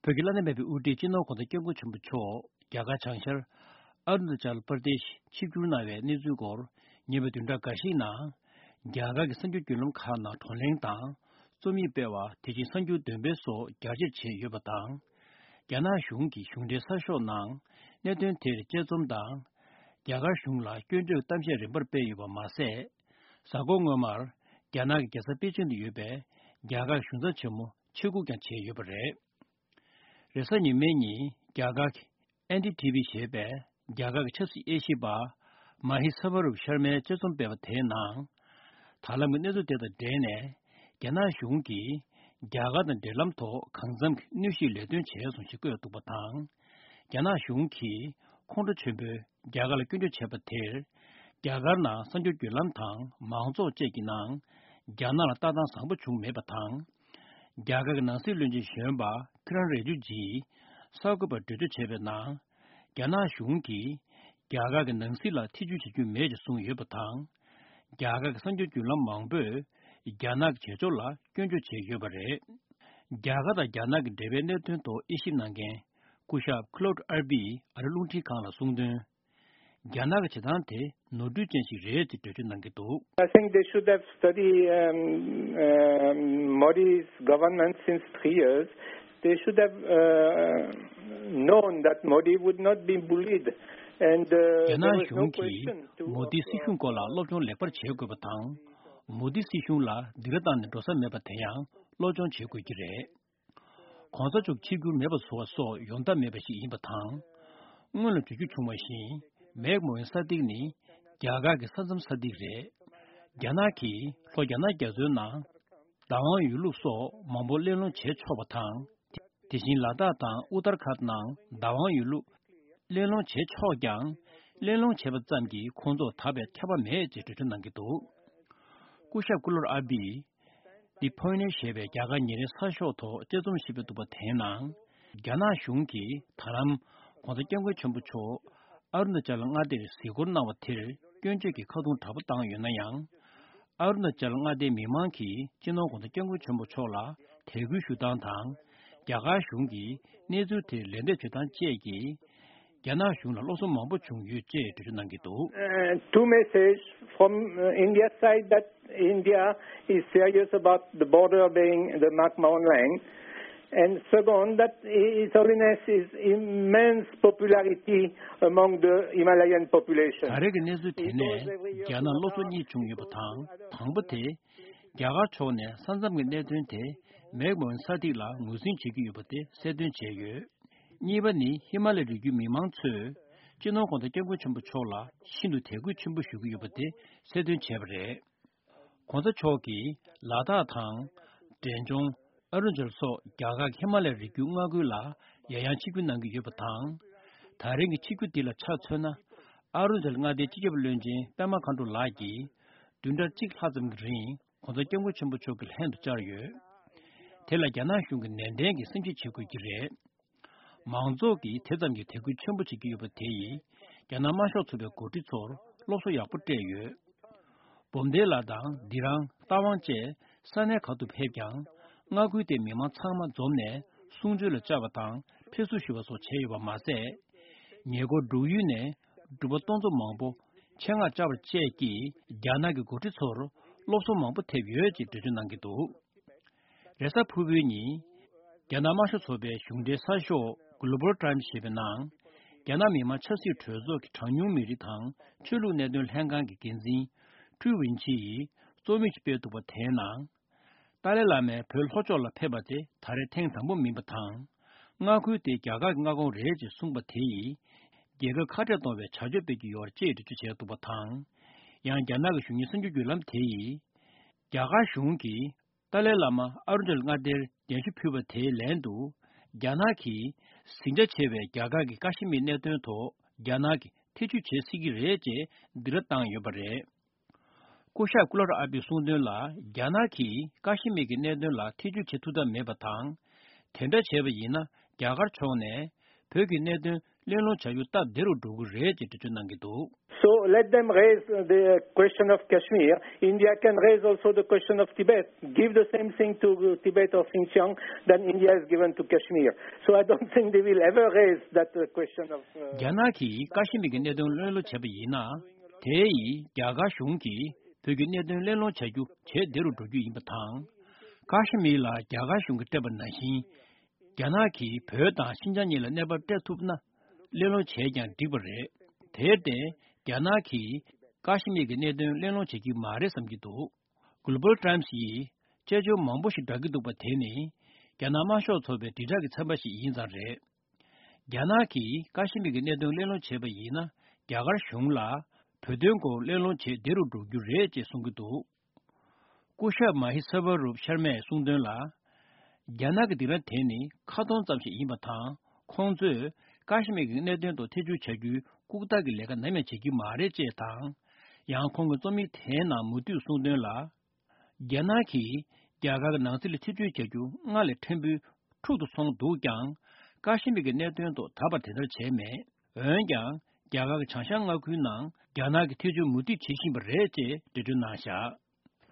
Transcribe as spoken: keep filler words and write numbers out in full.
བོད་ཀྱི་བླ་ན་མེད་པའི་དབུ་ཁྲིད་སྤྱི་ནོར་གོང་ས་སྐྱབས་མགོན་ཆེན་པོ་མཆོག་རྒྱ་གར་བྱང་ཤར་ཨ་རུ་ན་ཅལ་པར་དེ་ཤི་ཆིབས་བསྒྱུར་གནང་བའི་གནས་ཚུལ་སྐོར། ཉེ་བའི་བདུན་ཕྲག་འགའ་ཞིག་ནང་། རྒྱ་གར་གྱི་གསར་འགྱུར་བརྒྱུད་ལམ་ཁག་ནང་བགྲོ་གླེང་དང་། རྩོམ་ཡིག་སྤེལ་བ། དེ་བཞིན་གསར་འགྱུར་འདོན་སྤེལ་སོགས་རྒྱ་ཆེར་བྱས་ཡོད་པ་དང་། རྒྱ་ནག་གཞུང་གི་གཞུང་འབྲེལ་གསར་ཤོག་ནང་གནད་དོན་དེར་དཔྱད་རྩོམ་དང་། རྒྱ་གར་གཞུང་ལ་སྐྱོན་བརྗོད་གཏམ་བཤད་རིམ་པར་སྤེལ་ཡོད་པ་མ་ཟད། གཟའ་འཁོར་སྔོན་མར་རྒྱ་ནག་གི་རྒྱལ་ས་པེ་ཅིང་དུ་ཡོད་པའི་རྒྱ་གར་གཞུང་ཚབ་ཆེན་མོ་ཆེད་བསྐོས་ཀྱང་བྱས་ཡོད་པ་རེད། རེས་གཟའ་ཉི་མའི་ཉིན་རྒྱ་གར་གྱི་ཨེན་ཌི་ཊི་ཝི་ཞེས་པས་རྒྱ་གར་གྱི་ཆབ་སྲིད་དབྱེ་ཞིབ་པ་མ་ཧི་ས་བ་རུབ་ཤར་མའི་དཔྱད་རྩོམ་སྤེལ་བ་དེའི་ནང་། ད་ལམ་གྱི་གནས་ཚུལ་དེ་དང་འབྲེལ་ནས། རྒྱ་ནག་གཞུང་གིས་རྒྱ་གར་དང་འབྲེལ་ལམ་ཐོག་གང་འཚམ་གྱི་གནོན་ཤུགས་ལས་དོན་བྱས་སོང་ཞེས་བཀོད་འདུག་པ་དང་། རྒྱ་ནག་གཞུང་གིས་ཁོང་ཁྲོ་ཆེན་པོས་རྒྱ་གར་ལ་སྐྱོན་བརྗོད་བྱས་པ་དེར། རྒྱ་གར་ནང་གསར་འགྱུར་བརྒྱུད་ལམ་དང་མང་ཚོགས་བཅས་ཀྱི་ནང་། རྒྱ་ནག་ལ་ལྟ་སྟངས་བཟང་པོ་བྱུང་མེད་པ་དང་། རྒྱ་གར་གྱི་ནང་སྲིད་བློན་ཆེན་གཞོན་པ་ཀི་རན་རི་ཇི་ཇིས་གསར་འགོད་པར་འགྲེལ་བརྗོད་བྱས་པའི་ནང་། རྒྱ་ནག་གཞུང་གིས་རྒྱ་གར་གྱི་ནང་སྲིད་ལ་ཐེ་བྱུས་བྱེད་རྒྱུ་མེད་ཅེས་གསུངས་ཡོད་པ་དང་། རྒྱ་གར་གྱི་གསར་འགྱུར་བརྒྱུད་ལམ་མང་པོས་རྒྱ་ནག་གི་བྱེད་ཕྱོགས་ལ་སྐྱོན་བརྗོད་བྱས་ཡོད་པ་རེད། རྒྱ་གར་དང་རྒྱ་ནག་གི་འབྲེལ་བའི་གནད་དོན་ཐོག་དབྱེ་ཞིབ་གནང་མཁན་སྐུ་ཞབས་ཁི་ལོད་ཨར་པིས་ཨ་རི་རླུང་འཕྲིན་ཁང་ལ་གསུངས་དོན། རྒྱ་ནག་གི་བྱེད་སྟངས་དེ་ནོར་འཁྲུལ་ཅན་ཞིག་རེད་ཅེས་འགྲེལ་བརྗོད་གནང་གི་འདུག། I think they should have studied um, um, Modi's government since three years. They should have uh, known that Modi would not be bullied. And uh, རྒྱ་there ནག་was no གཞུང་གིས་question to མོ་དིའི་སྲིད་གཞུང་སྐོར་ལ་སློབ་སྦྱོང་ལེགས་པར་བྱེད་དགོས་པ་དང་། མོ་དིའི་སྲིད་གཞུང་ལ་སྡིགས་ར་བཏང་ནས་འགྲོ་ས་མེད་པ་དེ་ཡང་སློབ་སྦྱོང་བྱེད་དགོས་ཀྱི་རེད། གོང་ས་མཆོག་ཆིབས་བསྒྱུར་མེད་པ་བཟོ་བ་སོགས་ཡོང་ཐབས་མེད་པ་ཞིག་ཡིན་པ་དང་། སྔོན་ལ་བརྗོད་རྒྱུ་བྱུང་བ་བཞིན། མེག་མོ་ཝན་ས་ཏིག་ནི་རྒྱ་གར་གྱི་ས་མཚམས་ས་ཏིག་རེད། རྒྱ་ནག་གིས་ལྷོ་རྒྱ་ནག་རྒྱ་མཚོའི་ནང་བདག་དབང་ཡོད་ལུགས་སོགས་མང་པོ་གླེང་སློང་བྱེད་ཆོག་པ་དང་། དེ་བཞིན་ལ་དྭགས་དང་ཨུ་ཏར་ཁཱད་ནང་བདག་དབང་ཡོད་ལུགས་གླེང་སློང་བྱེད་ཆོག་ཀྱང་། གླེང་སློང་བྱས་པ་ཙམ་གྱིས་ཁོང་ཚོར་ད་བར་ཁྱབ་པ་མེད་ཅེས་འགྲེལ་བརྗོད་གནང་གི་འདུག། སྐུ་ཞབས་ཀུ་ལོར་ཨ་བིས། The Pioneer ཞེས་པའི་རྒྱ་གར་ཉིན་རེའི་གསར་ཤོག་ཐོག་དཔྱད་རྩོམ་ཞིག་སྤེལ་འདུག་པ་དེའི་ནང་། རྒྱ་ནག་གཞུང་གིས་ད་ལམ་གོང་ས་སྐྱབས་མགོན་ཆེན་པོ་མཆོག་ཨ་རུ་ན་ཅལ་མངའ་སྡེར་གཟིགས་སྐོར་གནང་བ་དེར་སྐྱོན་བརྗོད་ཀྱི་ཁ་རྡུང་དྲག་པོ་བཏང་ཡོད་ན་ཡང་། ཨ་རུ་ན་ཅལ་མངའ་སྡེའི་མི་མང་གིས་སྤྱི་ནོར་གོང་ས་སྐྱབས་མགོན་ཆེན་པོ་མཆོག་ལ་དད་གུས་ཞུ་སྟངས་དང་། རྒྱ་གར་གཞུང་གིས་གནས་ཚུལ་དེར་ལན་འདེབས་བྱེད་སྟངས་བཅས་ཀྱིས། རྒྱ་ནག་གཞུང་ལ་བློ་སེམས་མང་པོ་བྱུང་ཡོད་ཅེས་འགྲེལ་བརྗོད་གནང་གི་འདུག། Uh, two messages from uh, India side that India is serious about the border being the Makmon land. And second, that His Holiness is immense popularity among the Himalayan population. ད་རེས་ཀྱི་གནས་ཚུལ་དེ་ནས་རྒྱ་ནག་བློ་སེམས་གཉིས་བྱུང་ཡོད་པ་དང་། དང་པོ་དེ། རྒྱ་གར་ཕྱོགས་ནས་ས་མཚམས་ཀྱི་གནད་དོན་དེ་མེག་མོ་ཝན་ས་ཏིག་ལ་ངོས་འཛིན་བྱེད་ཀྱི་ཡོད་པ་དེ་གསལ་སྟོན་བྱས་ཡོད། གཉིས་པ་ནི་ཧི་མ་ལ་ཡའི་རི་རྒྱུད་མི་མང་ཚོས་སྤྱི་ནོར་གོང་ས་སྐྱབས་མགོན་ཆེན་པོ་མཆོག་ལ་ཤིན་ཏུ་དད་གུས་ཆེན་པོ་ཞུ་གི་ཡོད་པ་དེ་གསལ་སྟོན་བྱས་པ་རེད། གོང་ས་མཆོག་གིས་ལ་དྭགས་དང་། འབྲས་ལྗོངས། ཨ་རུ་ན་ཅལ་སོགས་རྒྱ་གར་གྱི་ཧི་མ་ལ་ཡའི་རི་རྒྱུད་མངའ་ཁུལ་ལ་ཡང་ཡང་ཆིབས་བསྒྱུར་གནང་གི་ཡོད་པ་དང་། ད་རིང་གི་ཆིབས་བསྒྱུར་འདི་ལ་ཆ་མཚོན་ན། ཨ་རུ་ན་ཅལ་མངའ་སྡེའི་སྤྱི་ཁྱབ་བློན་ཆེན་པད་མ་མཁའ་འགྲོ་ལགས་ཀྱིས་བདུན་ཕྲག་གཅིག་ལྷག་ཙམ་གྱི་རིང་གོང་ས་སྐྱབས་མགོན་ཆེན་པོ་མཆོག་གི་ལྷན་དུ་བཅར་ཡོད། དེ་ལ་རྒྱ་ནག་གཞུང་གིས་ནན་ཏན་གྱིས་སེམས་ཁྲལ་བྱེད་དགོས་ཀྱི་རེད། མང་ཚོགས་ཀྱིས་དེ་ཙམ་གྱིས་དད་གུས་ཆེན་པོ་བྱེད་ཀྱི་ཡོད་པ་དེ་ཡིས་རྒྱ་ནག་དམར་ཤོག་ཚོགས་པའི་འགོ་ཁྲིད་ཚོར་སློབ་གསོ་ཡག་པོ་སྤྲད་ཡོད། བོམ་དེ་ལ་དང་དི་རང་རྟ་དབང་བཅས་ས་གནས་ག་ཏུ་ཕེབས་ཀྱང་། མངའ་ཁུལ་དེའི་མི་མང་ཚང་མ་འཛོམས་ནས་གསུང་ཆོས་ལ་བཅར་བ་དང་ཕེབས་བསུ་ཞུ་བ་སོགས་བྱས་ཡོད་པ་མ་ཟད། ཉེ་འཁོར་འབྲུག་ཡུལ་ནས་འབྲུག་པ་སྟོང་ཚོ་མང་པོ་ཆེད་མངགས་བཅར་བ་བཅས་ཀྱིས་རྒྱ་ནག་གི་འགོ་ཁྲིད་ཚོར་སློབ་གསོ་མང་པོ་ཐེབས་ཡོད་ཅེས་འགྲེལ་བརྗོད་གནང་གི་འདུག། རེས་གཟའ་ཕུར་བུའི་ཉིན། རྒྱ་ནག་དམར་ཤོག་ཚོགས་པའི་གཞུང་འབྲེལ་གསར་ཤོག་Global Times ཞེས་པའི་ནང་། རྒྱ་ནག་མི་དམངས་ཆབ་སྲིད་གྲོས་ཚོགས་ཀྱི་གྲངས་ཉུང་མི་རིགས་དང་ཆོས་ལུགས་གནད་དོན་ལྷན་ཁང་གི་འགན་འཛིན་ཀྲུའུ་ཝིན་ཆི་ཡིས་རྩོམ་ཡིག་ཅིག་སྤེལ་འདུག་པ་དེའི་ནང་། ཏཱ་ལའི་བླ་མས་བོད་ལྷོ་ཕྱོགས་ལ་ཕེབས་པ་དེ་ད་རེས་ཐེངས་དང་པོ་མིན་པ་དང་། མངའ་ཁུལ་དེ་རྒྱ་གར་གྱི་མངའ་ཁོངས་རེད་ཅེས་གསུངས་པ་དེ་ཡིས། རྒྱལ་ཁབ་ཁ་བྲལ་གཏོང་བའི་བྱ་སྤྱོད་སྤེལ་གྱི་ཡོད་རེད་ཅེས་འགྲེལ་བརྗོད་བྱས་འདུག་པ་དང་། ཡང་རྒྱ་ནག་གི་གཞུང་གཉེར་གསར་འགྱུར་བརྒྱུད་ལམ་དེ་ཡིས། རྒྱ་གར་གཞུང་གིས། ཏཱ་ལའི་བླ་མ་ཨ་རུ་ན་ཅལ་མངའ་སྡེར་གདན་ཞུ་ཕུལ་བ་དེའི་ལན་དུ། རྒྱ་ནག་གིས་ཟིང་ཆ་ཆེ་བའི་རྒྱ་གར་གྱི་ཀ་ཤི་མིར་གནད་དོན་ཐོག་རྒྱ་ནག་གིས་ཐེ་བྱུས་བྱེད་སྲིད་ཀྱི་རེད་ཅེས་སྡིགས་ར་བཏང་ཡོད་པ་རེད། སྐུ་ཞབས་ཀུ་ལར་ཨ་པིའི་གསུང་དོན་ལ། རྒྱ་ནག་གིས་ཀ་ཤི་མིར་གྱི་གནད་དོན་ལ་ཐེ་བྱུས་བྱེད་ཐུབ་ཐབས་མེད་པ་དང་། དེ་འདྲ་བྱས་པ་ཡིན་ན། རྒྱ་གར་ཕྱོགས་ནས་ བོད་ཀྱི་གནད་དོན་གླེང་སློང་བྱ་རྒྱུ་སྟབས་བདེ་རུ་འགྲོ་གི་རེད་ཅེས་འགྲེལ་བརྗོད་གནང་གི་འདུག། So let them raise the question of Kashmir. India can raise also the question of Tibet. Give the same thing to Tibet or Xinjiang than India has given to Kashmir. So I don't think they will ever raise that uh, question of. Uh, རྒྱ་ནག་གིས་ཀ་ཤི་མིར་གྱི་གནད་དོན་གླེང་སློང་བྱས་པ་ཡིན་ན། དེ་ཡིས་རྒྱ་གར་གཞུང་གིས་བོད་ཀྱི་གནད་དོན་གླེང་སློང་བྱ་རྒྱུ་ཇེ་བདེ་རུ་འགྲོ་རྒྱུ་ཡིན་པ་དང་། ཀ་ཤི་མིར་ལ་རྒྱ་གར་གཞུང་གིས་སྤྲད་པ་ནང་བཞིན། རྒྱ་ནག་གིས་བོད་དང་ཤིན་ཅང་གཉིས་ལ་གནས་བབ་སྤྲད་ཐུབ་ན། གླེང་སློང་བྱས་ཀྱང་འགྲིག་པ་རེད། དེར་བརྟེན། རྒྱ་ནག་གིས་ཀ་ཤི་མིར་གྱི་གནད་དོན་གླེང་སློང་བྱེད་ཀྱི་མ་རེད་བསམ་གྱི་འདུག། Global Times ཡིས་དཔྱད་བརྗོད་མང་པོ་ཞིག་བསྒྲགས་ཀྱི་འདུག་པ། དེ་ནི་རྒྱ་ནག་དམར་ཤོག་ཚོགས་པའི་དྲིལ་བསྒྲགས་ཀྱི་ཚན་པ་ཞིག་ཡིན་ཙང་རེད། རྒྱ་ནག་གིས་ཀ་ཤི་མིར་གྱི་གནད་དོན་གླེང་སློང་བྱས་པ་ཡིན་ན། རྒྱ་གར་གཞུང་ལ་བོད་དོན་སྐོར་གླེང་སློང་བྱེད་བདེ་རུ་འགྲོ་རྒྱུ་རེད་ཅེས་གསུང་གི་འདུག། སྐུ་ཞབས་མ་ཧི་ས་བ་རུབ་ཤར་མས་གསུངས་དོན་ལ། རྒྱ་ནག་གི་སྡིགས་ར་དེ་ནི་ཁ་སྟོང་ཙམ་ཞིག་ཡིན་པ་དང་། ཁོང་ཚོས་ཀ་ཤི་མིར་གྱི་གནད་དོན་ཐོག་ཐེ་བྱུས་བྱ་རྒྱུའི་ལྐུགས་རྟགས་ཀྱི་ལས་ཀ་ནམ་ཡང་བྱེད་ཀྱི་མ་རེད་ཅེས་དང་། ཡང་ཁོང་གིས་རྩོམ་ཡིག་དེའི་ནང་མུ་མཐུད་གསུངས་དོན་ལ། རྒྱ་ནག་གིས་རྒྱ་གར་གྱི་ནང་སྲིད་ལ་ཐེ་བྱུས་བྱ་རྒྱུ་སྔར་ལས་ཕྲན་བུ་འཁྲུག་ཏུ་སོང་འདུག་ཀྱང་། ཀ་ཤི་མིར་གྱི་གནད་དོན་ཐོག་ད་བར་དེ་ལྟར་བྱས་མེད། འོན་ཀྱང་། རྒྱ་གར་གྱི་བྱང་ཤར་མངའ་ཁུལ་ནང་རྒྱ་ནག་གིས་ཐེ་བྱུས་མུ་མཐུད་བྱེད་བཞིན་པ་རེད་ཅེས་འགྲེལ་བརྗོད་གནང་བཞག།